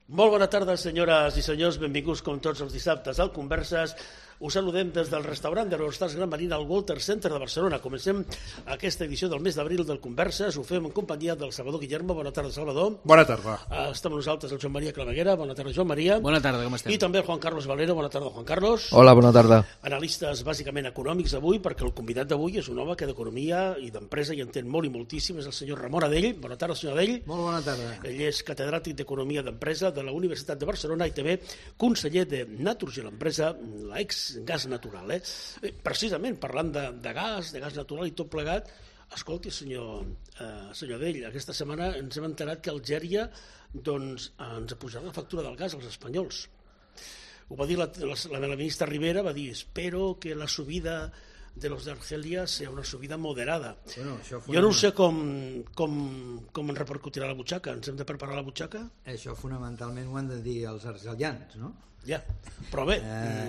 Molt bona tarda, senyores i senyors. Benvinguts, com tots els dissabtes, al Converses. Us saludem des del restaurant d'Aerostars Gran Marina al Walter Center de Barcelona. Comencem aquesta edició del mes d'abril del Converses. Ho fem en companyia del Salvador Guillermo. Bona tarda, Salvador. Bona tarda. Estem amb nosaltres el Joan Maria Claveguera. Bona tarda, Joan Maria. Bona tarda, com estem? I també el Juan Carlos Valero. Bona tarda, Juan Carlos. Hola, bona tarda. Analistes bàsicament econòmics avui, perquè el convidat d'avui és un home que d'economia i d'empresa hi entén molt i moltíssim. És el senyor Ramon Adell. Bona tarda, senyor Adell. Molt bona tarda. Ell és catedràtic d'Economia d'Empresa de la Universitat de Barcelona i també conseller de Naturgy, l'empresa, l'ex-gas natural. Precisament, parlant de gas natural i tot plegat, escolti, senyor Adell, aquesta setmana ens hem enterat que Algèria ens apujarà la factura del gas als espanyols. Ho va dir la ministra Rivera, va dir, espero que la subida de los de Argelia sea una subida moderada. Bueno, jo no sé com ens repercutirà la butxaca. Ens hem de preparar la butxaca? Això fonamentalment ho han de dir els argelians, no? Ja, però bé,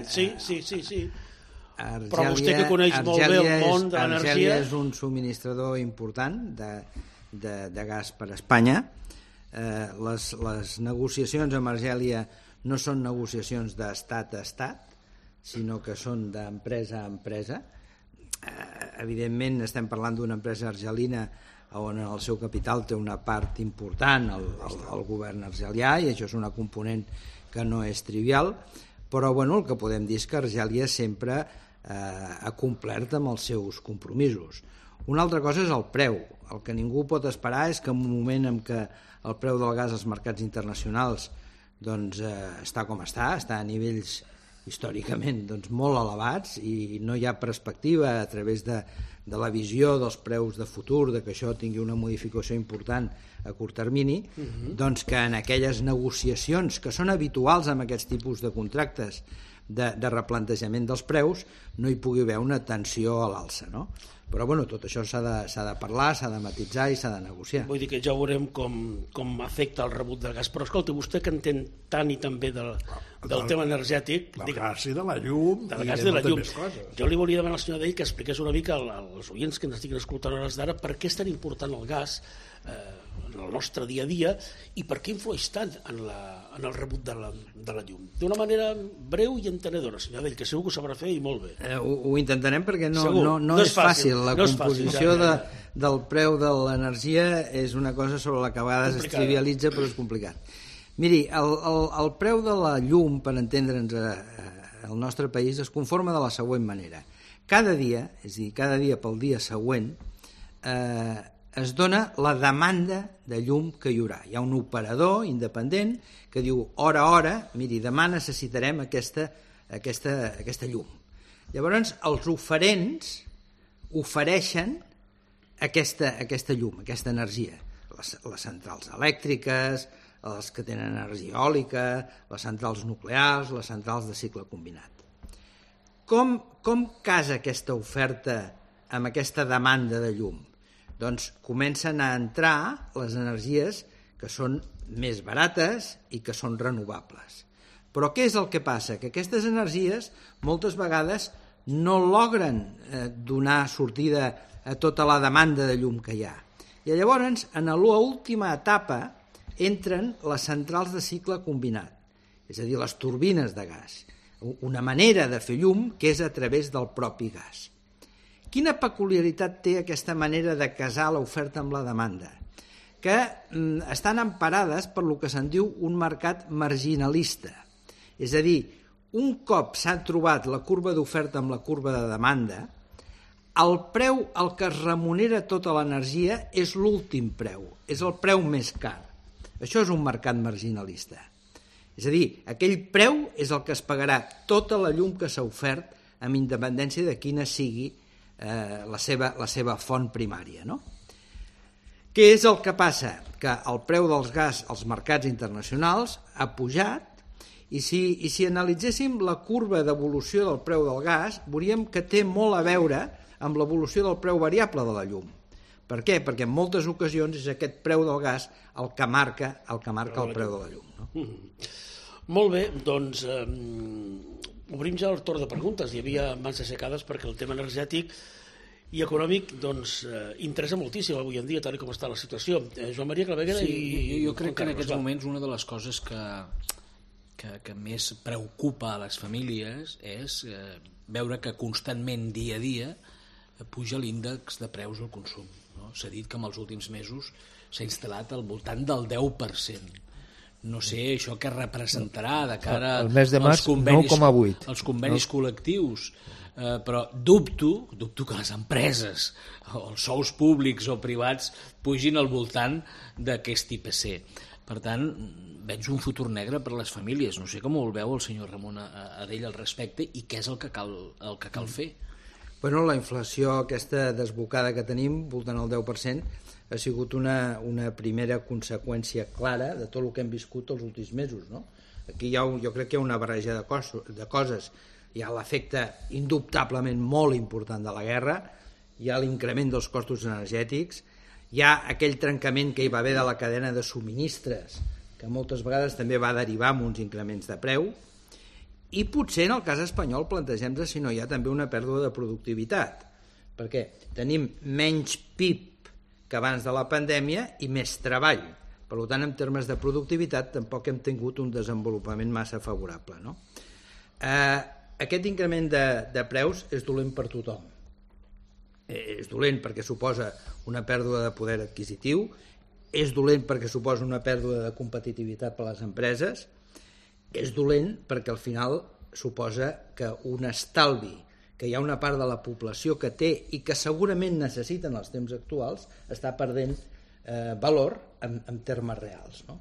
sí. Argèlia, però vostè que coneix molt bé el món de l'energia... Argèlia és un subministrador important de gas per a Espanya. Les negociacions amb Argèlia no són negociacions d'estat a estat, sinó que són d'empresa a empresa. Evidentment estem parlant d'una empresa argelina on el seu capital té una part important el govern argelià, i això és una component que no és trivial, però el que podem dir és que Argèlia sempre ha complert amb els seus compromisos. Una altra cosa és el preu. El que ningú pot esperar és que en un moment en què el preu del gas als mercats internacionals està com està a nivells històricament molt elevats i no hi ha perspectiva a través de la visió dels preus de futur de que això tingui una modificació important a curt termini, doncs que en aquelles negociacions que són habituals amb aquests tipus de contractes de replantejament dels preus no hi pugui haver una tensió a l'alça, no? Però tot això s'ha de parlar, s'ha de matisar i s'ha de negociar. Vull dir que ja veurem com afecta el rebut del gas. Però escolta, vostè que entén tant i tan bé del tema energètic... Del gas i de la llum i de moltes més coses. Jo li volia demanar al senyor Adell que expliqués una mica als oients que ens estiguin escoltant a hores d'ara per què és tan important el gas en el nostre dia a dia i per què influeix tant en el rebut de la llum. D'una manera breu i entenedora, senyor Adell, que segur que ho sabrà fer i molt bé. Ho intentarem perquè no és fàcil. La composició del preu de l'energia és una cosa sobre la que a vegades es trivialitza, però és complicat. Miri, el preu de la llum, per entendre'ns al nostre país, es conforma de la següent manera. Cada dia, és a dir, cada dia pel dia següent, es dona la demanda de llum que hi haurà. Hi ha un operador independent que diu hora a hora, miri, demà necessitarem aquesta llum. Llavors, els oferents ofereixen aquesta llum, aquesta energia. Les centrals elèctriques, els que tenen energia eòlica, les centrals nuclears, les centrals de cicle combinat. Com casa aquesta oferta amb aquesta demanda de llum? Doncs comencen a entrar les energies que són més barates i que són renovables. Però què és el que passa? Que aquestes energies moltes vegades no logren donar sortida a tota la demanda de llum que hi ha. I llavors, en l'última etapa, entren les centrals de cicle combinat, és a dir, les turbines de gas. Una manera de fer llum que és a través del propi gas. Quina peculiaritat té aquesta manera de casar l'oferta amb la demanda? Que estan emparades per lo que se'n diu un mercat marginalista. És a dir, un cop s'ha trobat la curva d'oferta amb la curva de demanda, el preu al que es remunera tota l'energia és l'últim preu, és el preu més car. Això és un mercat marginalista. És a dir, aquell preu és el que es pagarà tota la llum que s'ha ofert amb independència de quina sigui la seva font primària, no? Què és el que passa? Que el preu dels gas als mercats internacionals ha pujat i si analitzéssim la curva d'evolució del preu del gas, veuríem que té molt a veure amb l'evolució del preu variable de la llum. Per què? Perquè en moltes ocasions és aquest preu del gas el que marca el preu de la llum. No? Molt bé, doncs obrim ja el torn de preguntes. Hi havia mans aixecades perquè el tema energètic i econòmic, doncs, interessa moltíssim avui en dia, tal com està la situació. Joan Maria Claveguera i... Jo crec que en aquests moments una de les coses que més preocupa a les famílies és veure que constantment, dia a dia, puja l'índex de preus al consum. No? S'ha dit que en els últims mesos s'ha instal·lat al voltant del 10%. No sé això què representarà de cara als convenis col·lectius, però dubto que les empreses o els sous públics o privats pugin al voltant d'aquest IPC. Per tant, veig un futur negre per a les famílies. No sé com ho veu el senyor Ramon Adell al respecte i què és el que cal fer. Bueno, la inflació aquesta desbocada que tenim, voltant al 10%, ha sigut una primera conseqüència clara de tot el que hem viscut els últims mesos, no? Aquí jo crec que hi ha una barreja de coses. Hi ha l'efecte indubtablement molt important de la guerra, hi ha l'increment dels costos energètics, hi ha aquell trencament que hi va haver de la cadena de subministres, que moltes vegades també va derivar en uns increments de preu, i potser en el cas espanyol plantegem-nos si no hi ha també una pèrdua de productivitat, perquè tenim menys PIB que abans de la pandèmia i més treball. Per tant, en termes de productivitat tampoc hem tingut un desenvolupament massa favorable, no? Aquest increment de preus és dolent per tothom. És dolent perquè suposa una pèrdua de poder adquisitiu, és dolent perquè suposa una pèrdua de competitivitat per a les empreses, és dolent perquè al final suposa que un estalvi que hi ha una part de la població que té i que segurament necessita en els temps actuals està perdent valor en termes reals, no?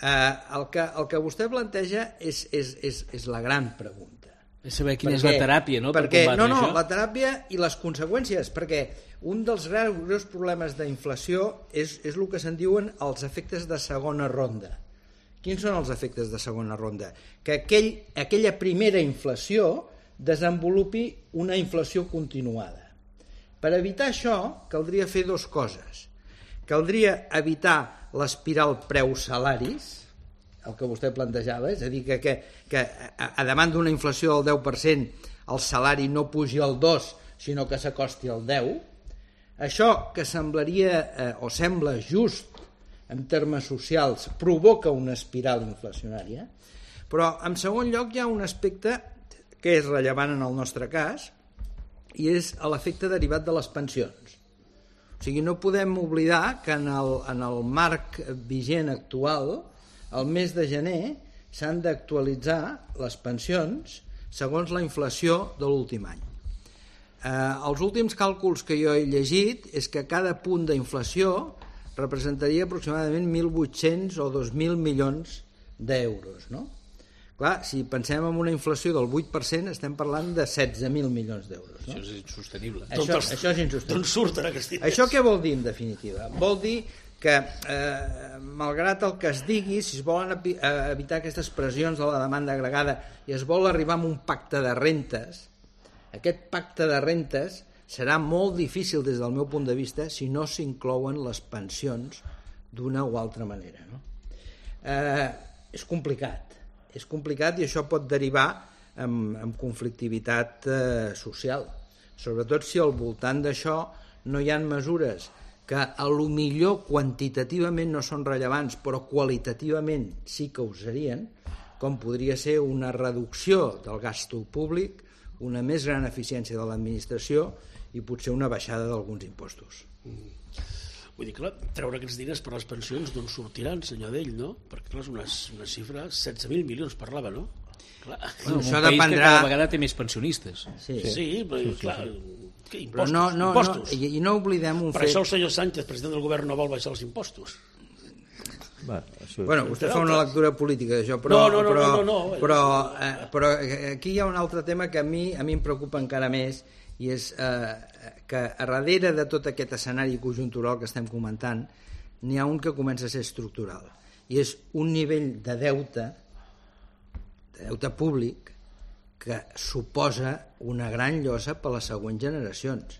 El que vostè planteja és la gran pregunta. És saber quina és la teràpia, no? Per combatre això. La teràpia i les conseqüències, perquè un dels greus problemes d'inflació és el que se'n diuen els efectes de segona ronda. Quins són els efectes de segona ronda? Que aquella primera inflació desenvolupi una inflació continuada. Per evitar això, caldria fer dues coses. Caldria evitar l'espiral preu-salaris, el que vostè plantejava, és a dir, que a davant d'una inflació del 10% el salari no pugi al 2, sinó que s'acosti al 10. Això, que semblaria o sembla just en termes socials, provoca una espiral inflacionària, però en segon lloc hi ha un aspecte que és rellevant en el nostre cas, i és l'efecte derivat de les pensions. O sigui, no podem oblidar que en el marc vigent actual, el mes de gener, s'han d'actualitzar les pensions segons la inflació de l'últim any. Els últims càlculs que jo he llegit és que cada punt d'inflació representaria aproximadament 1.800 o 2.000 milions d'euros, no? Clar, si pensem en una inflació del 8%, estem parlant de 16.000 milions d'euros. No? Això és insostenible. Això és insostenible. D'on surten aquests diners? Això què vol dir, en definitiva? Vol dir que, malgrat el que es digui, si es volen evitar aquestes pressions de la demanda agregada i es vol arribar a un pacte de rentes, aquest pacte de rentes serà molt difícil des del meu punt de vista si no s'inclouen les pensions d'una o altra manera. No? És complicat i això pot derivar en conflictivitat social, sobretot si al voltant d'això no hi ha mesures que a lo millor quantitativament no són rellevants però qualitativament sí que ho serien, com podria ser una reducció del gasto públic, una més gran eficiència de l'administració i potser una baixada d'alguns impostos. Vull dir, clar, treure aquests diners per les pensions d'on sortiran, senyor Adell, no? Perquè, clar, és una xifra, 16.000 milions parlava, no? Clar. Bueno, això dependrà... que cada vegada té més pensionistes. Sí, però, clar, impostos. I no oblidem un fet... Per això el senyor Sánchez, president del govern, no vol baixar els impostos. Bueno, vostè fa una lectura política d'això, però aquí hi ha un altre tema que a mi em preocupa encara més, i és que a darrere de tot aquest escenari conjuntural que estem comentant n'hi ha un que comença a ser estructural, i és un nivell de deute públic que suposa una gran llosa per a les següents generacions.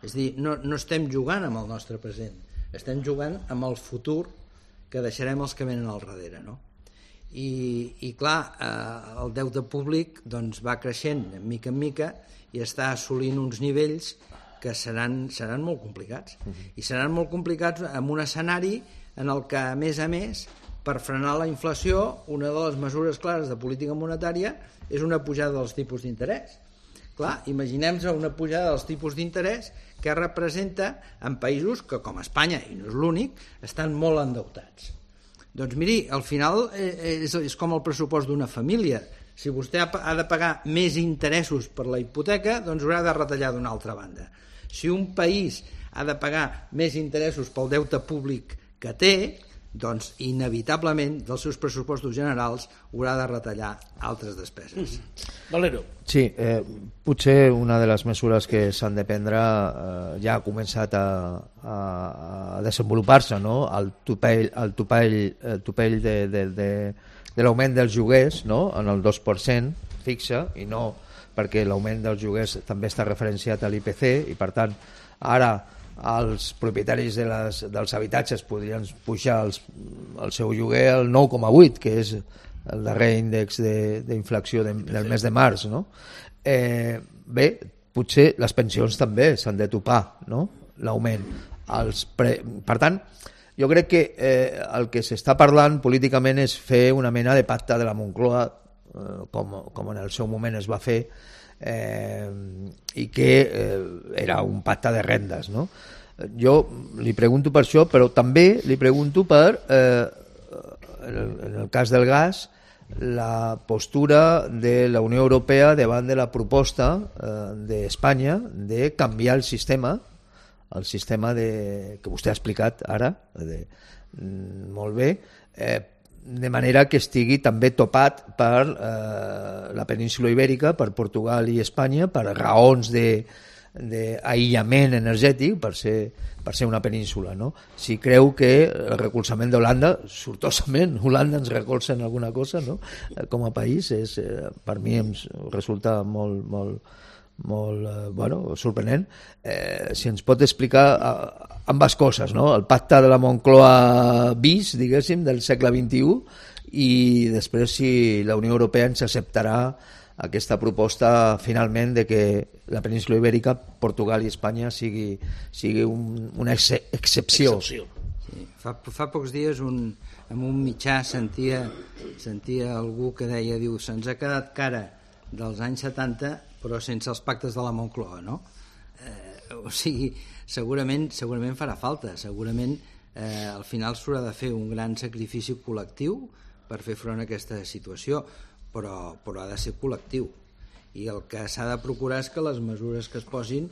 És a dir, no estem jugant amb el nostre present, estem jugant amb el futur que deixarem els que venen al darrere, no? I clar, el deute públic doncs, va creixent de mica en mica i està assolint uns nivells que seran molt complicats. I seran molt complicats en un escenari en el que, a més, per frenar la inflació, una de les mesures clares de política monetària és una pujada dels tipus d'interès. Clar, imaginem-nos una pujada dels tipus d'interès que representa en països que, com Espanya, i no és l'únic, estan molt endeutats. Doncs miri, al final és com el pressupost d'una família. Si vostè ha de pagar més interessos per la hipoteca, doncs haurà de retallar d'una altra banda. Si un país ha de pagar més interessos pel deute públic que té, doncs inevitablement dels seus pressupostos generals haurà de retallar altres despeses. Valero. Sí, potser una de les mesures que s'han de prendre ja ha començat a desenvolupar-se, no? El topall de l'augment dels lloguers, no? En el 2% fixa, i no perquè l'augment dels lloguers també està referenciat a l'IPC, i per tant ara els propietaris dels habitatges podrien pujar el seu lloguer al 9,8, que és el darrer índex d'inflació del mes de març, no? Bé, potser les pensions també s'han de topar, no? L'augment. Per tant, jo crec que el que s'està parlant políticament és fer una mena de pacte de la Moncloa, com en el seu moment es va fer, i que era un pacte de rendes, no? Jo li pregunto per això, però també li pregunto per en el cas del gas, la postura de la Unió Europea davant de la proposta d'Espanya de canviar el sistema que vostè ha explicat ara molt bé, de manera que estigui també topat per la península Ibèrica, per Portugal i Espanya, per raons d'aïllament energètic, per ser una península, no? Si creu que el recolzament d'Holanda, sortosament Holanda ens recolza en alguna cosa, no? Com a país, per mi em resulta molt sorprenent. Si ens pot explicar ambas coses, no? El pacte de la Moncloa bis, diguéssim, del segle XXI, i després si la Unió Europea ens acceptarà aquesta proposta finalment de que la península Ibèrica, Portugal i Espanya sigui una excepció. Sí. Fa pocs dies en un mitjà sentia algú que deia, se'ns ha quedat cara dels anys 70 però sense els pactes de la Moncloa, no? O sigui, segurament farà falta, segurament al final s'haurà de fer un gran sacrifici col·lectiu per fer front a aquesta situació, però ha de ser col·lectiu, i el que s'ha de procurar és que les mesures que es posin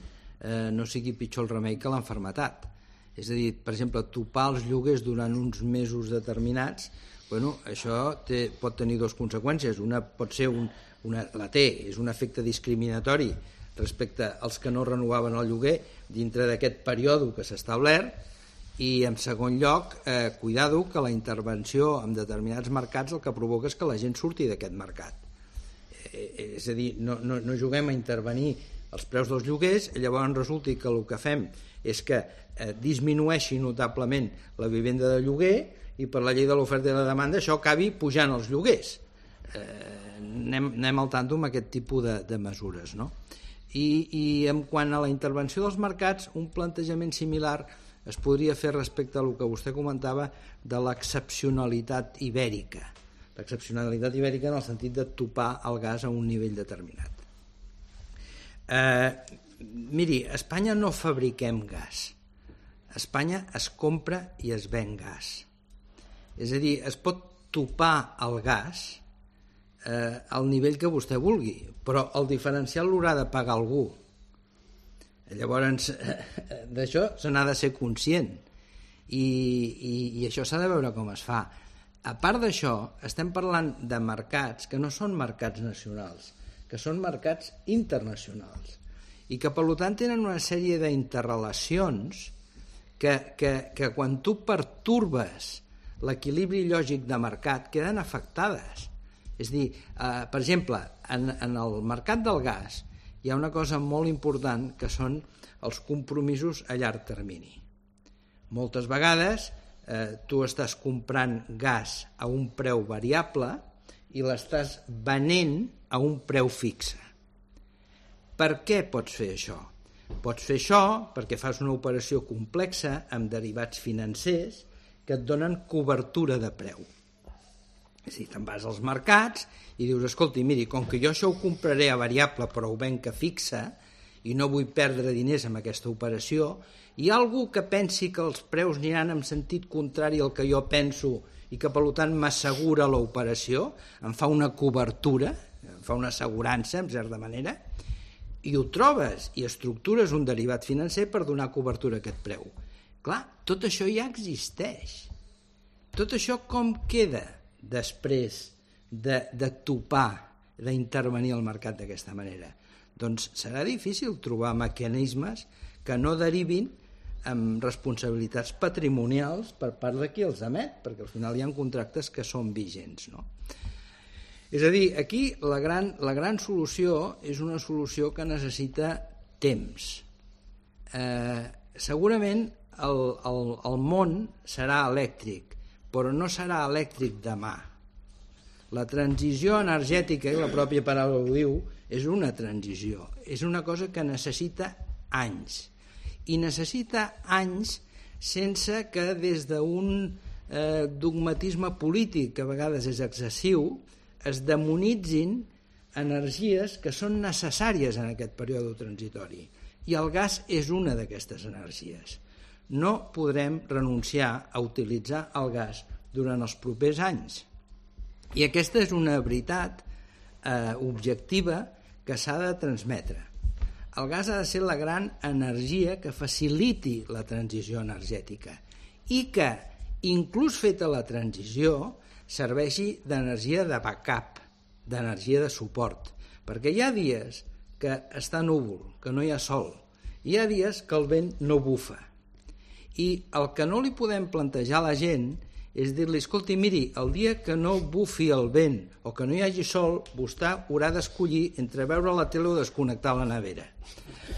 no sigui pitjor el remei que l'enfermetat. És a dir, per exemple, topar els lloguers durant uns mesos determinats, això pot tenir dues conseqüències. Una pot ser és un efecte discriminatori respecte als que no renovaven el lloguer dintre d'aquest període que s'ha establert, i en segon lloc, cuidado, que la intervenció en determinats mercats el que provoca és que la gent surti d'aquest mercat. És a dir, no juguem a intervenir els preus dels lloguers, llavors resulti que el que fem és que disminueixi notablement la vivenda de lloguer, i per la llei de l'oferta i la demanda això acabi pujant els lloguers. Anem al tanto amb aquest tipus de mesures, no? I en quant a la intervenció dels mercats, un plantejament similar es podria fer respecte a el que vostè comentava de l'excepcionalitat ibèrica. L'excepcionalitat ibèrica en el sentit de topar el gas a un nivell determinat. Miri, a Espanya no fabriquem gas. A Espanya es compra i es ven gas. És a dir, es pot topar el gas al nivell que vostè vulgui, però el diferencial l'haurà de pagar algú. Llavors, d'això se n'ha de ser conscient, i això s'ha de veure com es fa. A part d'això, estem parlant de mercats que no són mercats nacionals, que són mercats internacionals, i que per tant tenen una sèrie d'interrelacions que quan tu pertorbes l'equilibri lògic de mercat queden afectades. És a dir, per exemple, en el mercat del gas hi ha una cosa molt important que són els compromisos a llarg termini. Moltes vegades tu estàs comprant gas a un preu variable i l'estàs venent a un preu fixe. Per què pots fer això? Pots fer això perquè fas una operació complexa amb derivats financers que et donen cobertura de preu. És a dir, te'n vas als mercats i dius, escolti, miri, com que jo això ho compraré a variable però ho venc a fixa i no vull perdre diners amb aquesta operació, hi ha algú que pensi que els preus aniran en sentit contrari al que jo penso i que per tant m'assegura l'operació, em fa una cobertura, em fa una assegurança, en certa manera, i ho trobes i estructures un derivat financer per donar cobertura a aquest preu. Clar, tot això ja existeix. Tot això com queda després de topar, d'intervenir al mercat d'aquesta manera? Doncs serà difícil trobar mecanismes que no derivin amb responsabilitats patrimonials per part de qui els emet, perquè al final hi ha contractes que són vigents, no? És a dir, aquí la gran solució és una solució que necessita temps. Segurament el món serà elèctric, però no serà elèctric demà. La transició energètica, i la pròpia paraula ho diu, és una transició, és una cosa que necessita anys, i necessita anys sense que des d'un dogmatisme polític, que a vegades és excessiu, es demonitzin energies que són necessàries en aquest període transitori, i el gas és una d'aquestes energies. No podrem renunciar a utilitzar el gas durant els propers anys. I aquesta és una veritat objectiva que s'ha de transmetre. El gas ha de ser la gran energia que faciliti la transició energètica i que, inclús feta la transició, serveixi d'energia de backup, d'energia de suport. Perquè hi ha dies que està núvol, que no hi ha sol, hi ha dies que el vent no bufa. I el que no li podem plantejar a la gent és dir-li, escolti, miri, el dia que no bufi el vent o que no hi hagi sol, vostè haurà d'escollir entre veure la tele o desconnectar la nevera.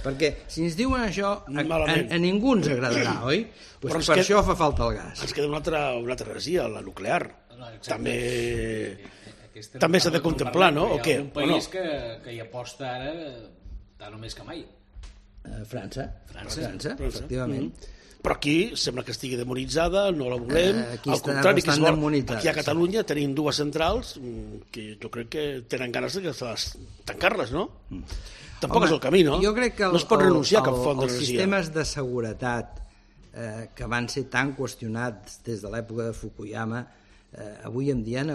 Perquè si ens diuen això, a ningú ens agradarà, oi? Pues per això fa falta el gas. Ens queda una altra energia, la nuclear. També s'ha de contemplar, no? O què? Un país que hi aposta ara tant o més que mai. França, efectivament. Però aquí sembla que estigui demonitzada, no la volem, al contrari, que aquí a Catalunya tenim dues centrals que jo crec que tenen ganes de tancar-les, no? Tampoc és el camí, no? Jo crec que no es pot renunciar a cap font d'energia. Els sistemes de seguretat que van ser tan qüestionats des de l'època de Fukuyama, avui en dia han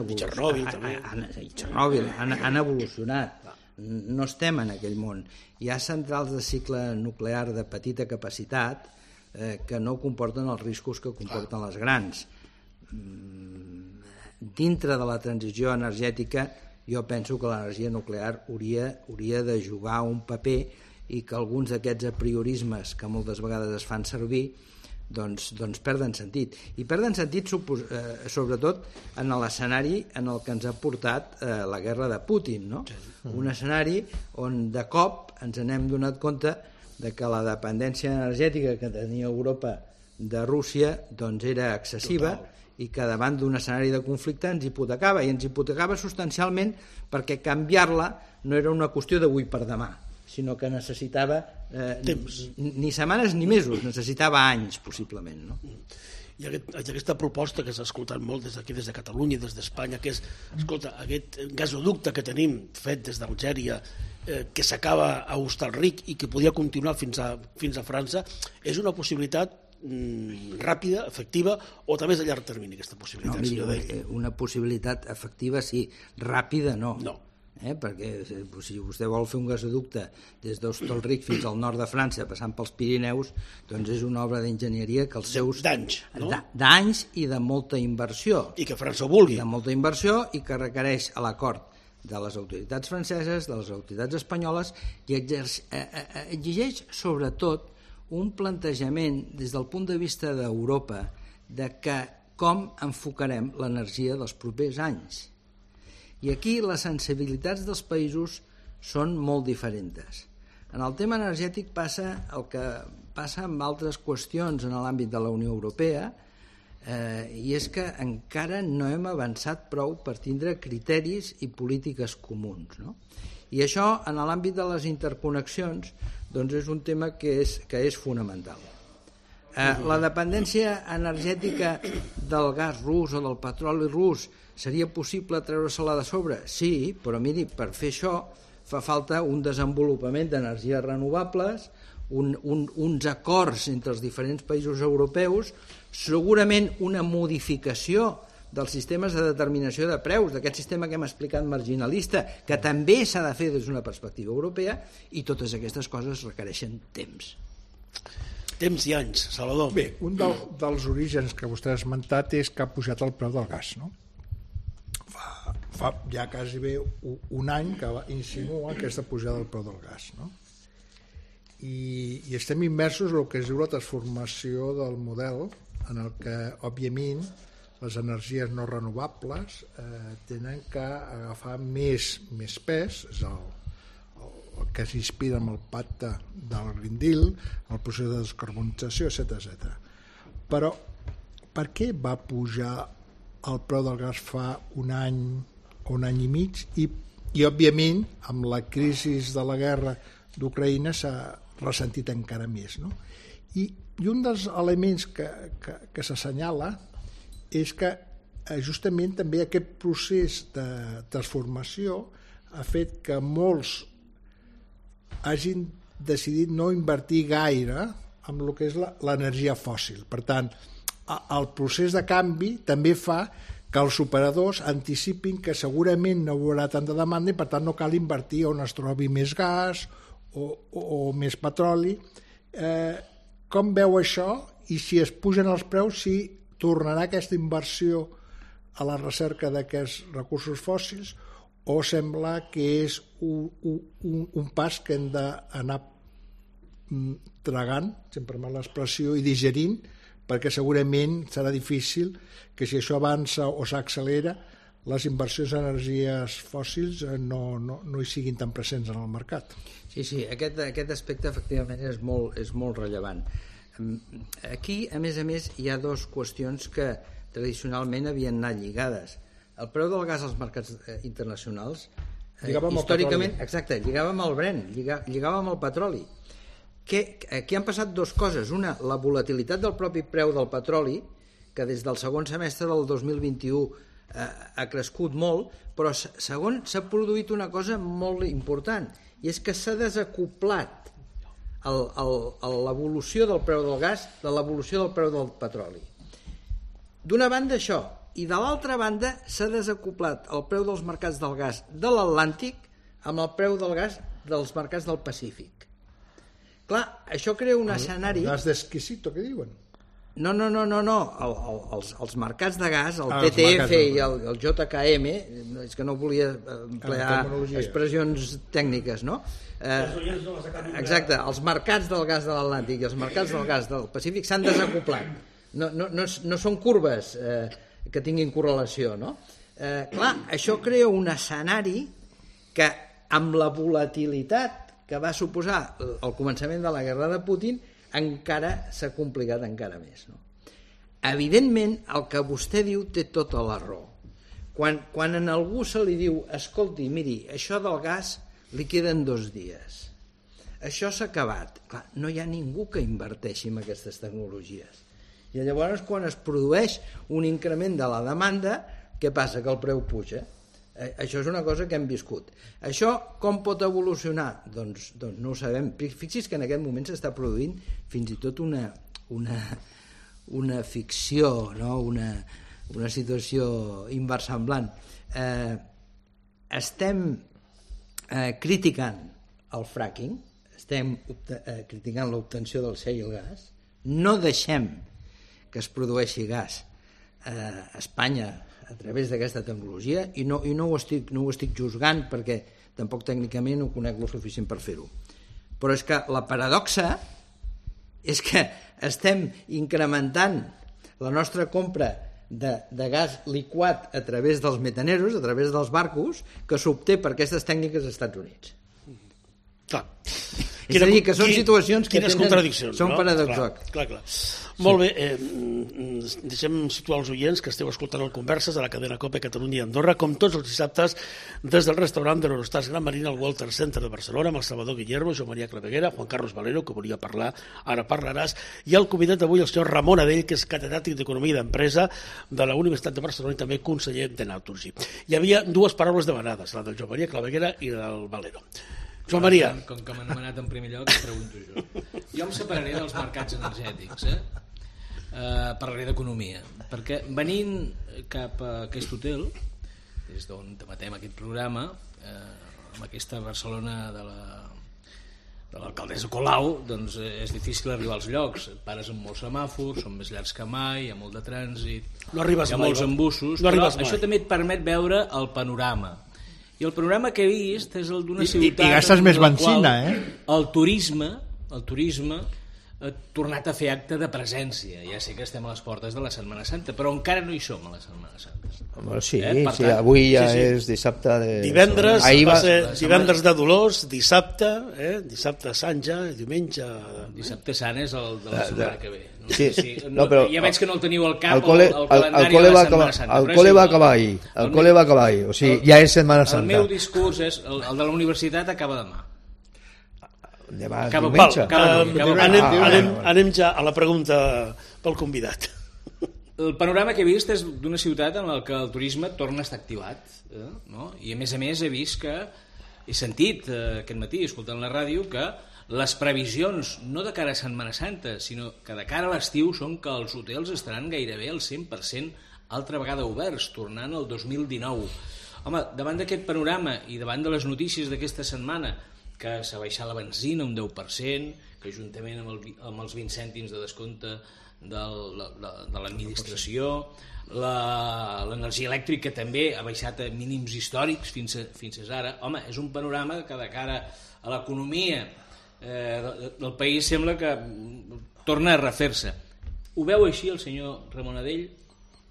evolucionat. No estem en aquell món. Hi ha centrals de cicle nuclear de petita capacitat que no comporten els riscos que comporten les grans. Dintre de la transició energètica jo penso que l'energia nuclear hauria de jugar un paper i que alguns d'aquests apriorismes que moltes vegades es fan servir doncs perden sentit. I perden sentit sobretot en l'escenari en el que ens ha portat la guerra de Putin, no? Un escenari on de cop ens n'hem donat compte de que la dependència energètica que tenia Europa de Rússia doncs era excessiva i que davant d'un escenari de conflicte ens hipotecava, i ens hipotecava substancialment perquè canviar-la no era una qüestió d'avui per demà, sinó que necessitava ni setmanes ni mesos, necessitava anys possiblement, no? I aquesta proposta que s'ha escoltat molt des d'aquí, des de Catalunya, des d'Espanya, que és, escolta, aquest gasoducte que tenim fet des d'Algèria, que s'acaba a Hostalric i que podia continuar fins a França, és una possibilitat ràpida, efectiva, o també és a llarg termini aquesta possibilitat? No, una possibilitat efectiva sí, ràpida no. Perquè si vostè vol fer un gasoducte des d'Hostalric fins al nord de França passant pels Pirineus, doncs és una obra d'enginyeria que els seus... D'anys, no? D'anys i de molta inversió. I que França ho vulgui. De molta inversió i que requereix l'acord de les autoritats franceses, de les autoritats espanyoles, i exigeix sobretot un plantejament des del punt de vista d'Europa de que com enfocarem l'energia dels propers anys. I aquí les sensibilitats dels països són molt diferents. En el tema energètic passa el que passa amb altres qüestions en l'àmbit de la Unió Europea, i és que encara no hem avançat prou per tindre criteris i polítiques comuns, no? I això, en l'àmbit de les interconnexions, doncs és un tema que és fonamental. La dependència energètica del gas rus o del petroli rus seria possible treure-se-la de sobre? Sí, però miri, per fer això fa falta un desenvolupament d'energies renovables, uns acords entre els diferents països europeus, segurament una modificació dels sistemes de determinació de preus, d'aquest sistema que hem explicat marginalista, que també s'ha de fer des d'una perspectiva europea, i totes aquestes coses requereixen temps. Temps i anys, Salvador. Bé, un dels orígens que vostè ha esmentat és que ha pujat el preu del gas, no? Fa ja quasi bé un any que insinua aquesta pujada del preu del gas, no? I estem immersos en el que es diu la transformació del model, en el que, òbviament, les energies no renovables tenen que agafar més pes, és el que s'inspira en el pacte del Green Deal, el procés de descarbonització, etc. Però per què va pujar el preu del gas fa un any o un any i mig i òbviament, amb la crisi de la guerra d'Ucraïna s'ha ressentit encara més, no? I un dels elements que s'assenyala és que justament també aquest procés de transformació ha fet que molts hagin decidit no invertir gaire en el que és l'energia fòssil. Per tant, el procés de canvi també fa que els operadors anticipin que segurament no hi haurà tanta demanda i per tant no cal invertir on es trobi més gas o més petroli. Com veu això? I si es pugen els preus, si tornarà aquesta inversió a la recerca d'aquests recursos fòssils o sembla que és un pas que hem d'anar tragant, sempre amb l'expressió, i digerint, perquè segurament serà difícil que si això avança o s'accelera, les inversions en energies fòssils no hi siguin tan presents en el mercat. Sí, aquest aspecte efectivament és molt rellevant. Aquí, a més, hi ha dues qüestions que tradicionalment havien anat lligades. El preu del gas als mercats internacionals històricament, exacte, lligava amb el Brent, lligava amb el petroli. Aquí han passat dues coses. Una, la volatilitat del propi preu del petroli, que des del segon semestre del 2021 ha crescut molt, però segon, s'ha produït una cosa molt important, i és que s'ha desacoplat l'evolució del preu del gas de l'evolució del preu del petroli. D'una banda això, i de l'altra banda s'ha desacoplat el preu dels mercats del gas de l'Atlàntic amb el preu del gas dels mercats del Pacífic. Clar, això crea un escenari... Gas d'exquisito, què diuen? No. Els mercats de gas, el TTF i el JKM, és que no volia emplear expressions tècniques, no? Exacte, els mercats del gas de l'Atlàntic i els mercats del gas del Pacífic s'han desacoplat. No són curves que tinguin correlació, no? Clar, això crea un escenari que, amb la volatilitat que va suposar el començament de la guerra de Putin, encara s'ha complicat encara més, no? Evidentment, el que vostè diu té tota la raó. Quan a algú se li diu, escolti, miri, això del gas li queden 2 dies, això s'ha acabat, clar, no hi ha ningú que inverteixi en aquestes tecnologies. I llavors, quan es produeix un increment de la demanda, què passa? Que el preu puja. Això és una cosa que hem viscut. Això com pot evolucionar? Doncs no ho sabem. Fixi's que en aquest moment s'està produint fins i tot una ficció, no? una situació inversemblant. Estem criticant el fracking, estem criticant l'obtenció del shale gas, no deixem que es produeixi gas a Espanya a través d'aquesta tecnologia i no ho estic juzgant perquè tampoc tècnicament ho conec lo suficient per fer-ho. Però és que la paradoxa és que estem incrementant la nostra compra de gas liquat a través dels metaneros, a través dels barcos, que s'obté per aquestes tècniques als Estats Units. Clar. És a dir, que són situacions que són paradoxals. Clar. Molt bé, deixem situar els oients que esteu escoltant el Converses a la cadena COPE Catalunya i Andorra, com tots els dissabtes, des del restaurant de l'Eurostars Gran Marina al Walter Center de Barcelona, amb el Salvador Guillermo, Joan Maria Claveguera, Juan Carlos Valero, que volia parlar, ara parlaràs, i el convidat d'avui, el senyor Ramon Adell, que és catedràtic d'Economia d'Empresa de la Universitat de Barcelona i també conseller de Naturgy. Hi havia dues paraules demanades, la del Joan Maria Claveguera i la del Valero. Joan Maria. Com que m'ha anomenat en primer lloc, pregunto jo. Jo em separaré dels mercats energètics, parlaré d'economia, perquè venint cap a aquest hotel, des d'on debatem aquest programa, amb aquesta Barcelona de l'alcaldessa Colau, doncs és difícil arribar als llocs. Et pares amb molts semàfors, són més llargs que mai, hi ha molt de trànsit, no arribes hi ha molts embussos, no però això també et permet veure el panorama. I el panorama que he vist és el d'una ciutat... I gastes més benzina, El turisme ha tornat a fer acte de presència. Ja sé que estem a les portes de la Setmana Santa, però encara no hi som a la Setmana Santa. Sí, avui ja és dissabte de... Divendres va ser divendres de Dolors, dissabte, dissabte Sant ja, diumenge... Dissabte Sant és el de la setmana que ve. Sí, però ja veig que no el teniu al cap, el calendari de la Setmana Santa. El col·le va acabar ahir, o sigui, ja és Setmana Santa. El meu discurs és, el de la universitat acaba demà. Anem ja a la pregunta pel convidat. El panorama que he vist és d'una ciutat en la que el turisme torna a estar activat, no? I a més he vist que he sentit aquest matí, escoltant la ràdio, que les previsions, no de cara a Setmana Santa, sinó que de cara a l'estiu, són que els hotels estaran gairebé al 100% altra vegada oberts, tornant al 2019. Home, davant d'aquest panorama i davant de les notícies d'aquesta setmana, que s'ha baixat la benzina un 10%, que juntament amb els 20 cèntims de descompte de l'administració, l'energia elèctrica també ha baixat a mínims històrics fins ara. Home, és un panorama que de cara a l'economia del país sembla que torna a refer-se. Ho veu així el senyor Ramon Adell?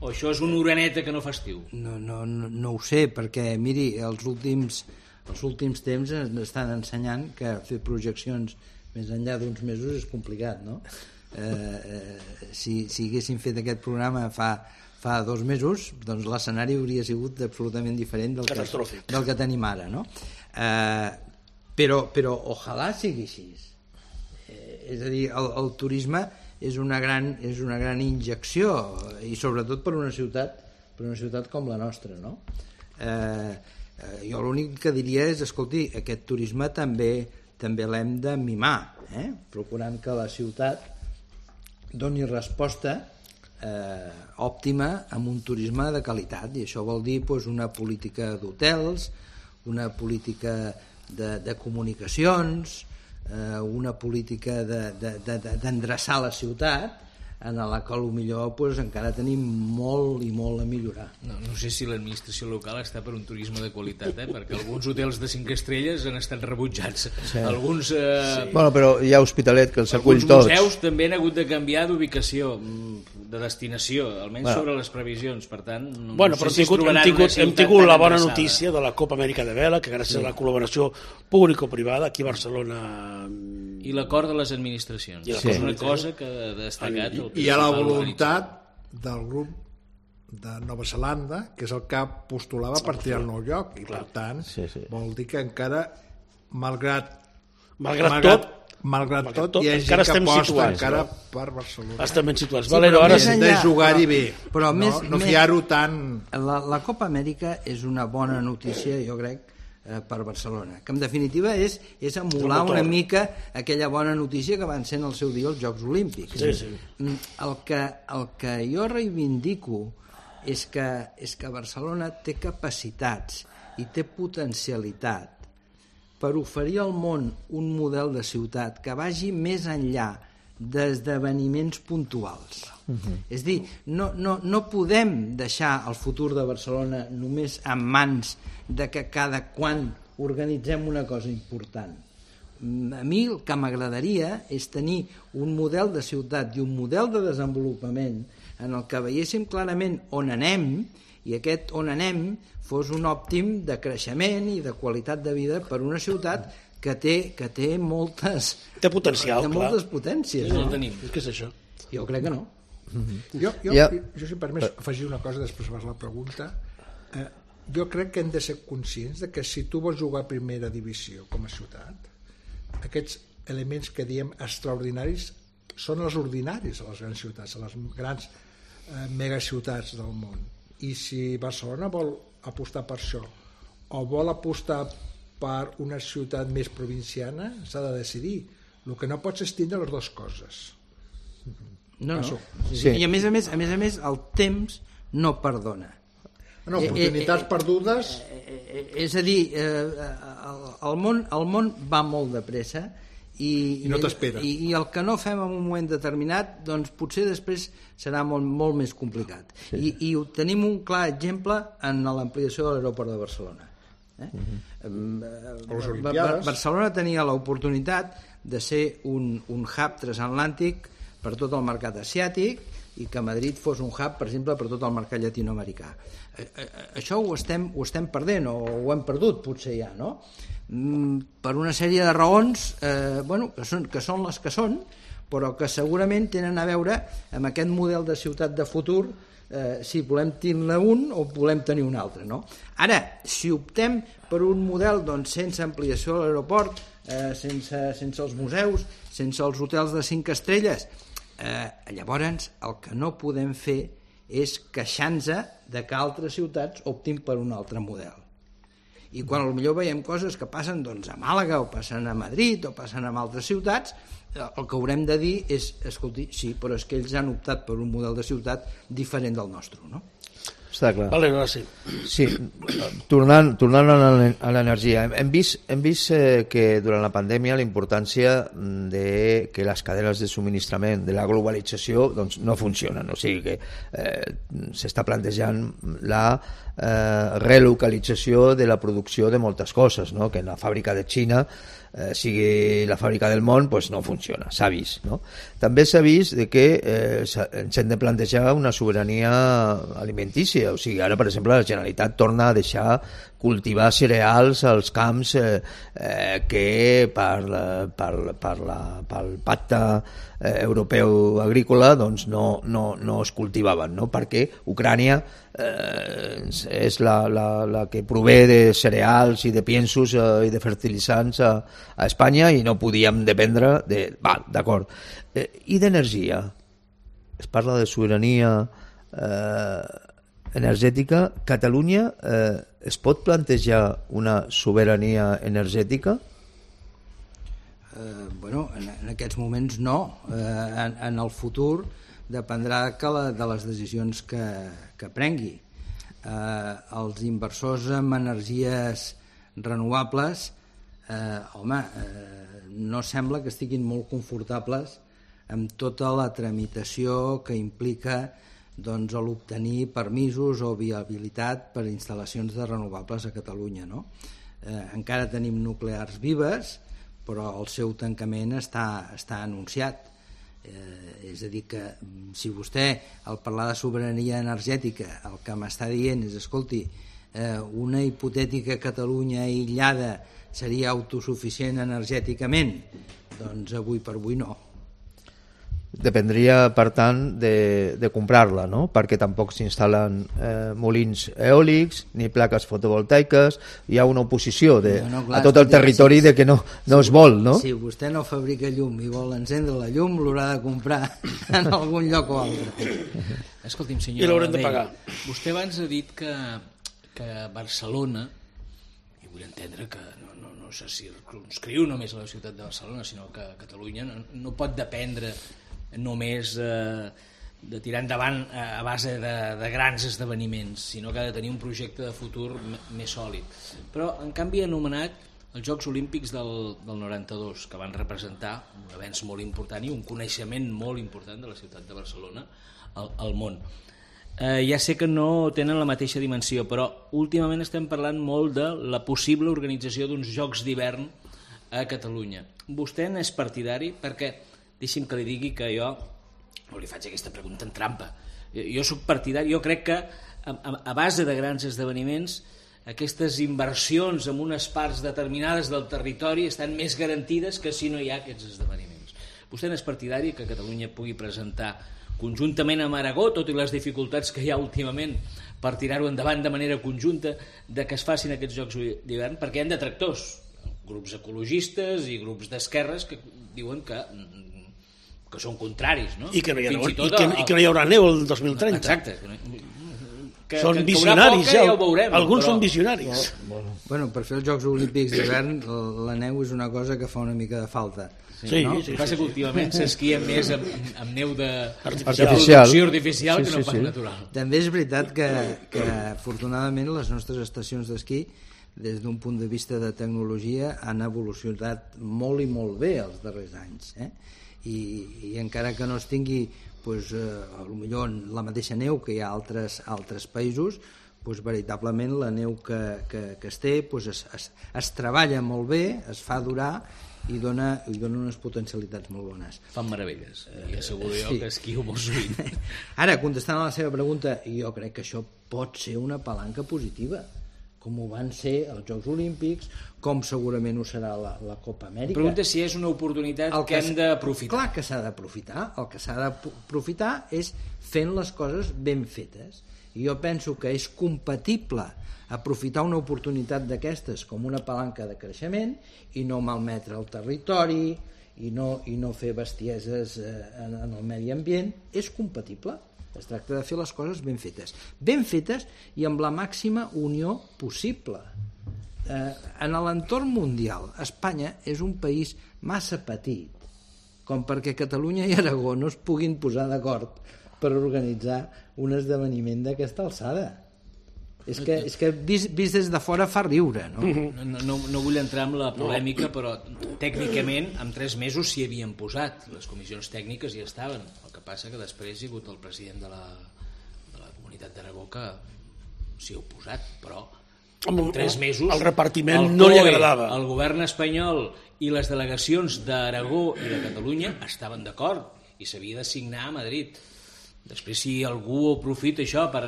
O això és una oreneta que no fa estiu? No ho sé, perquè miri, els últims temps ens estan ensenyant que fer projeccions més enllà d'uns mesos és complicat, no? Si haguéssim fet aquest programa fa 2 mesos, doncs l'escenari hauria sigut absolutament diferent del que tenim ara, no? Però ojalà sigui així. És a dir, el turisme és una gran injecció, i sobretot per una ciutat com la nostra, no? Jo l'únic que diria és, escolti, aquest turisme també l'hem de mimar, procurant que la ciutat doni resposta òptima amb un turisme de qualitat, i això vol dir una política d'hotels, una política de comunicacions, una política d'endreçar la ciutat, en la que potser encara tenim molt i molt a millorar. No sé si l'administració local està per un turisme de qualitat, perquè alguns hotels de 5 estrelles han estat rebutjats. Sí. Alguns... Bueno, però hi ha Hospitalet que els acull tots. Alguns museus també han hagut de canviar d'ubicació, de destinació, almenys sobre les previsions, per tant... Bueno, però hem tingut la bona notícia de la Copa Amèrica de Vela, que gràcies a la col·laboració público-privada aquí a Barcelona... I l'acord de les administracions. És una cosa que ha destacat... I hi ha la voluntat del grup de Nova Zelanda, que és el que postulava per triar el nou lloc, i per tant vol dir que encara, malgrat tot, hi ha gent que aposta encara per Barcelona. Estem ben situats. Valero, ara hem de jugar-hi bé, però no fiar-ho tant... La Copa Amèrica és una bona notícia, jo crec, per Barcelona, que en definitiva és emular una mica aquella bona notícia que van ser en el seu dia els Jocs Olímpics. El que jo reivindico és que Barcelona té capacitats i té potencialitat per oferir al món un model de ciutat que vagi més enllà d'esdeveniments puntuals. És a dir, no podem deixar el futur de Barcelona només en mans de que cada quan organitzem una cosa important. A mi el que m'agradaria és tenir un model de ciutat i un model de desenvolupament en el que veiéssim clarament on anem, i aquest on anem fos un òptim de creixement i de qualitat de vida per una ciutat que té moltes... Té potencial, clar. Té moltes potències. No tenim. Què és això? Jo crec que no. Jo si em permets afegir una cosa, després fas la pregunta. Jo crec que hem de ser conscients de que si tu vols jugar a primera divisió com a ciutat, aquests elements que diem extraordinaris són els ordinaris a les grans ciutats, a les grans megaciutats del món. I si Barcelona vol apostar per això o vol apostar per una ciutat més provinciana, s'ha de decidir. El que no pots és tindre les dues coses. No. Sí. I a més a més el temps no perdona. No, oportunitats perdudes... És a dir, el món va molt de pressa i no t'espera. I el que no fem en un moment determinat, doncs potser després serà molt més complicat. Sí. I tenim un clar exemple en l'ampliació de l'aeroport de Barcelona. Barcelona tenia l'oportunitat de ser un hub transatlàntic per tot el mercat asiàtic i que Madrid fos un hub, per exemple, per tot el mercat llatinoamericà. Això ho estem perdent, o ho hem perdut potser ja, no? Per una sèrie de raons que són les que són, però que segurament tenen a veure amb aquest model de ciutat de futur, si volem tenir un o volem tenir un altre, no? Ara, si optem per un model sense ampliació de l'aeroport, sense els museus, sense els hotels de 5 estrelles, llavors el que no podem fer és queixar-nos de que altres ciutats optin per un altre model. I quan potser veiem coses que passen a Màlaga o passen a Madrid o passen a altres ciutats, el que haurem de dir és, escolti, sí, però és que ells han optat per un model de ciutat diferent del nostre, no? Està clar. Vale, ara sí. Sí, tornant a l'energia, hem vist que durant la pandèmia la importància de que les cadenes de subministrament de la globalització no funcionen, o sigui que s'està plantejant la relocalització de la producció de moltes coses, no? Que la fàbrica de Xina sigui la fàbrica del món, no funciona, s'ha vist, no? També s'ha vist que ens hem de plantejar una sobirania alimentícia, o sigui, ara per exemple la Generalitat torna a deixar cultivar cereals als camps que pel pacte europeu agrícola no es cultivaven, no? Perquè Ucrània és la que prové de cereals i de piensos i de fertilitzants a Espanya i no podíem dependre d'acord. I d'energia? Es parla de sobirania energètica. Catalunya es pot plantejar una sobirania energètica? En aquests moments no. En el futur dependrà de les decisions que prengui. Els inversors en energies renovables no sembla que estiguin molt confortables amb tota la tramitació que implica l'obtenir permisos o viabilitat per instal·lacions de renovables a Catalunya, no? Encara tenim nuclears vives, però el seu tancament està anunciat. És a dir, que si vostè, al parlar de sobirania energètica, el que m'està dient és, escolti, una hipotètica Catalunya aïllada seria autosuficient energèticament, doncs avui per avui no. Dependria, per tant, de comprar-la, no? Perquè tampoc s'instal·len molins eòlics ni plaques fotovoltaiques. Hi ha una oposició a tot el territori de que no es vol, no? Si vostè no fabrica llum i vol encendre la llum, l'haurà de comprar en algun lloc o altre. Escolti'm, senyor, i l'haurem de pagar. Vostè abans ha dit que Barcelona, i vull entendre que no se circumscriu només a la ciutat de Barcelona, sinó que Catalunya no pot dependre només de tirar endavant a base de grans esdeveniments, sinó que ha de tenir un projecte de futur més sòlid. Però, en canvi, ha anomenat els Jocs Olímpics del 92, que van representar un avenç molt important i un coneixement molt important de la ciutat de Barcelona al món. Ja sé que no tenen la mateixa dimensió, però últimament estem parlant molt de la possible organització d'uns Jocs d'hivern a Catalunya. Vostè n'és partidari? Perquè deixi'm que li digui que jo no li faig aquesta pregunta en trampa. Jo soc partidari, jo crec que a base de grans esdeveniments aquestes inversions en unes parts determinades del territori estan més garantides que si no hi ha aquests esdeveniments. Vostè n'és partidari que Catalunya pugui presentar conjuntament amb Aragó, tot i les dificultats que hi ha últimament per tirar-ho endavant de manera conjunta, de que es facin aquests Jocs d'hivern, perquè hi ha detractors, grups ecologistes i grups d'esquerres que diuen que són contraris, no? I que no hi haurà neu el 2030. Exacte. Són visionaris, ja ho veurem, alguns són visionaris. Bueno, per fer els Jocs Olímpics d'hivern la neu és una cosa que fa una mica de falta. Sí, no? Sí. Passa que últimament s'esquia més amb neu artificial que no pas natural. També és veritat que afortunadament les nostres estacions d'esquí, des d'un punt de vista de tecnologia, han evolucionat molt i molt bé els darrers anys. I encara que no es tingui potser la mateixa neu que hi ha a altres països, veritablement la neu que es té es treballa molt bé, es fa durar i dona unes potencialitats molt bones. Fan meravelles, i asseguro jo que esquio molt sovint. Ara, contestant a la seva pregunta, jo crec que això pot ser una palanca positiva, com ho van ser els Jocs Olímpics, com segurament ho serà la Copa Amèrica. Pregunta si és una oportunitat que hem d'aprofitar. Clar que s'ha d'aprofitar. El que s'ha d'aprofitar és fent les coses ben fetes. I jo penso que és compatible aprofitar una oportunitat d'aquestes com una palanca de creixement i no malmetre el territori i no fer bestieses en el medi ambient. És compatible. Es tracta de fer les coses ben fetes i amb la màxima unió possible. En l'entorn mundial, Espanya és un país massa petit com perquè Catalunya i Aragó no es puguin posar d'acord per organitzar un esdeveniment d'aquesta alçada. És que vist des de fora fa riure, no? No vull entrar en la polèmica, però tècnicament en 3 mesos s'hi havien posat. Les comissions tècniques hi estaven. El que passa que després hi ha hagut el president de la Comunitat d'Aragó que s'hi ha oposat, però en 3 mesos el repartiment no li agradava. El govern espanyol i les delegacions d'Aragó i de Catalunya estaven d'acord i s'havia de signar a Madrid. Després, si algú aprofita això per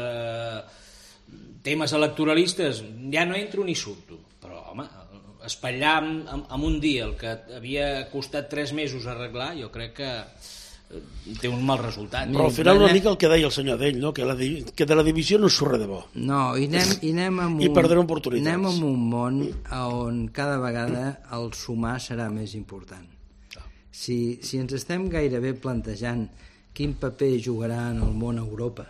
temes electoralistes, ja no entro ni surto, però home, espatllar en un dia el que havia costat 3 mesos arreglar, jo crec que té un mal resultat. Però al final una mica el que deia el senyor Adell, no? Que de la divisió no surt res de bo. No, i anem amb I perdrem oportunitats. Anem amb un món on cada vegada el sumar serà més important. Si ens estem gairebé plantejant quin paper jugarà en el món Europa,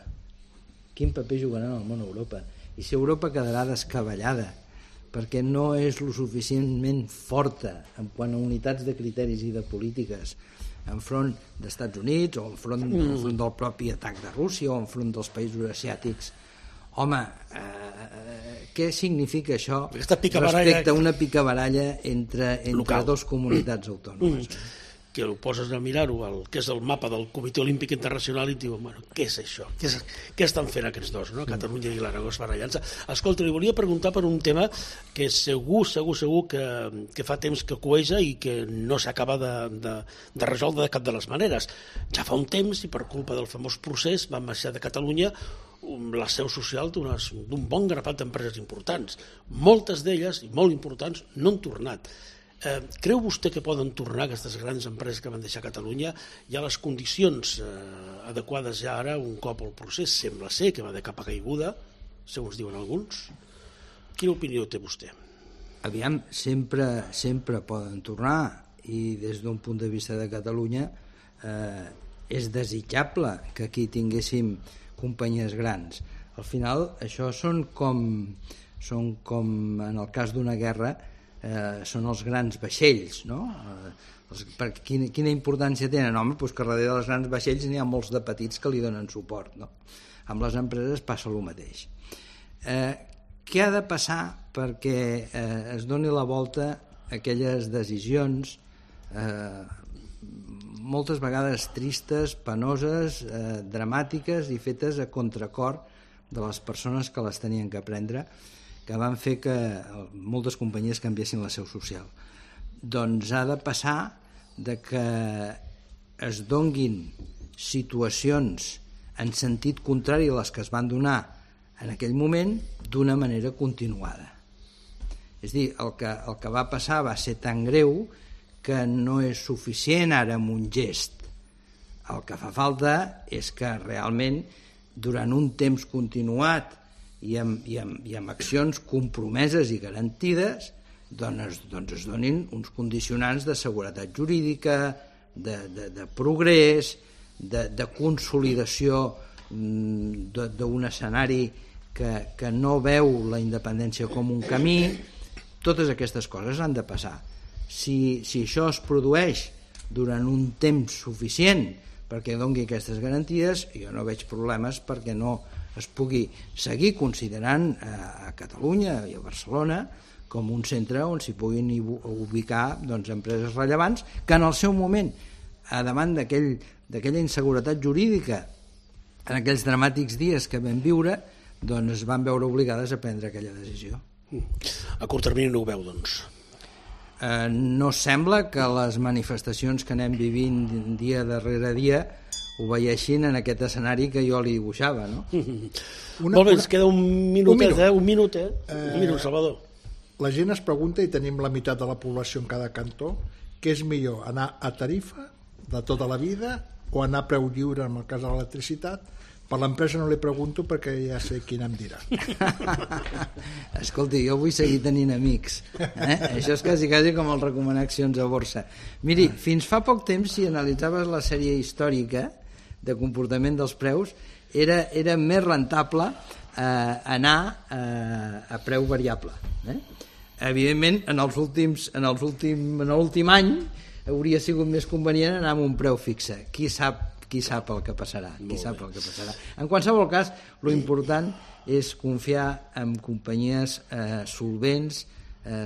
i si Europa quedarà descabellada perquè no és lo suficientment forta en quant a unitats de criteris i de polítiques enfront d'Estats Units o enfront del propi atac de Rússia o enfront dels països asiàtics, home, què significa això respecte a una picabaralla entre dos comunitats autònomes? Que ho poses a mirar-ho, que és el mapa del Comitè Olímpic Internacional i et diuen, bueno, què és això? Què estan fent aquests dos, no? Catalunya i l'Aragó barallant-se. Escolta, li volia preguntar per un tema que segur que fa temps que cueja i que no s'acaba de resoldre de cap de les maneres. Ja fa un temps, i per culpa del famós procés, van marxar de Catalunya la seu social d'un bon grapat d'empreses importants. Moltes d'elles, i molt importants, no han tornat. Creu vostè que poden tornar aquestes grans empreses que van deixar Catalunya? Hi ha les condicions adequades ja ara, un cop el procés sembla ser que va de capa caiguda, segons diuen alguns. Quina opinió té vostè? Aviam, sempre poden tornar, i des d'un punt de vista de Catalunya és desitjable que aquí tinguéssim companyies grans. Al final això són com en el cas d'una guerra, són els grans vaixells, no? Quina importància tenen? Home, doncs que darrere dels grans vaixells n'hi ha molts de petits que li donen suport, no? Amb les empreses passa el mateix. Què ha de passar perquè es doni la volta a aquelles decisions moltes vegades tristes, penoses, dramàtiques i fetes a contracor de les persones que les tenien que prendre, que van fer que moltes companyies canviessin la seu social. Doncs ha de passar de que es donguin situacions en sentit contrari a les que es van donar en aquell moment d'una manera continuada. És a dir, el que va passar va ser tan greu que no és suficient ara amb un gest. El que fa falta és que realment durant un temps continuat i amb accions compromeses i garantides doncs es donin uns condicionants de seguretat jurídica, de progrés, de consolidació d'un escenari que no veu la independència com un camí. Totes aquestes coses han de passar. Si això es produeix durant un temps suficient perquè doni aquestes garanties, jo no veig problemes perquè no es pugui seguir considerant a Catalunya i a Barcelona com un centre on s'hi puguin ubicar empreses rellevants que en el seu moment, a davant d'aquella inseguretat jurídica, en aquells dramàtics dies que vam viure, es van veure obligades a prendre aquella decisió. A curt termini no ho veu, doncs? No sembla que les manifestacions que anem vivint dia darrere dia ho veiessin en aquest escenari que jo li dibuixava, no? Molt bé, ens queda un minutet, un minut, Salvador. La gent es pregunta, i tenim la meitat de la població en cada cantó, què és millor, anar a tarifa de tota la vida o anar a preu lliure en el cas de l'electricitat? Per l'empresa no li pregunto perquè ja sé quina em dirà. Escolti, jo vull seguir tenint amics. Això és quasi com el recomanar accions a borsa. Miri, fins fa poc temps, si analitzaves la sèrie històrica de comportament dels preus, era més rentable anar a preu variable. Evidentment, en l'últim any hauria sigut més convenient anar amb un preu fixe. Qui sap el que passarà. En qualsevol cas, l'important és confiar en companyies solvents,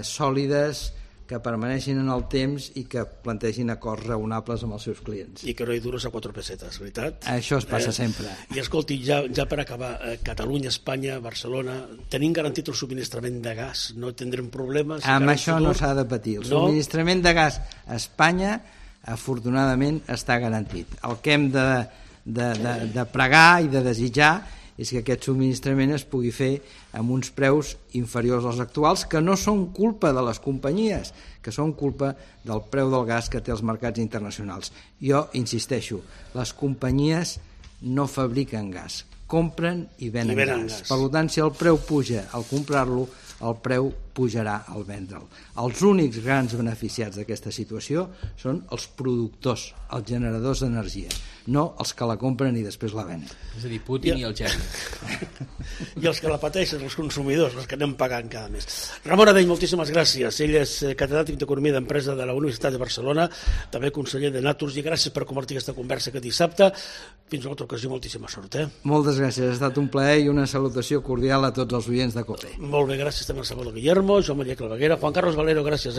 sòlides, que permaneixin en el temps i que plantegin acords raonables amb els seus clients. I que no hi dures a 4 pessetes, veritat? Això es passa sempre. I escolti, ja per acabar, Catalunya, Espanya, Barcelona, tenim garantit el subministrament de gas? No tindrem problemes? Amb això no s'ha de patir. El subministrament de gas a Espanya afortunadament està garantit. El que hem de pregar i de desitjar és que aquest subministrament es pugui fer amb uns preus inferiors als actuals, que no són culpa de les companyies, que són culpa del preu del gas que té els mercats internacionals. Jo insisteixo, les companyies no fabriquen gas, compren i venen gas. Per tant, si el preu puja al comprar-lo, el preu pujarà al vendre'l. Els únics grans beneficiats d'aquesta situació són els productors, els generadors d'energia, no els que la compren i després la venen. És a dir, Putin i el geni. I els que la pateixen, els consumidors, els que anem pagant cada mes. Ramon Adell, moltíssimes gràcies. Ell és catedràtic d'Economia d'Empresa de la Universitat de Barcelona, també conseller de Naturgy. Gràcies per compartir aquesta conversa aquest dissabte. Fins a una altra ocasió, moltíssima sort. Moltes gràcies, ha estat un plaer i una salutació cordial a tots els oients de COPE. Molt bé, gràcies també a Salvador Guillermo, Joan Maria Claveguera, Juan Carlos Valero, gràcies.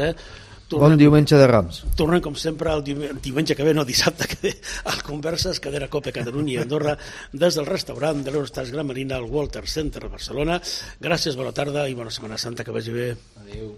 Bon diumenge de Rams. Tornem, com sempre, el diumenge que ve, no, dissabte que ve, al Converses, cadena COPE Catalunya i Andorra, des del restaurant de l'Eurostats Gran Marina al Walter Center a Barcelona. Gràcies, bona tarda i bona Setmana Santa, que vagi bé. Adéu.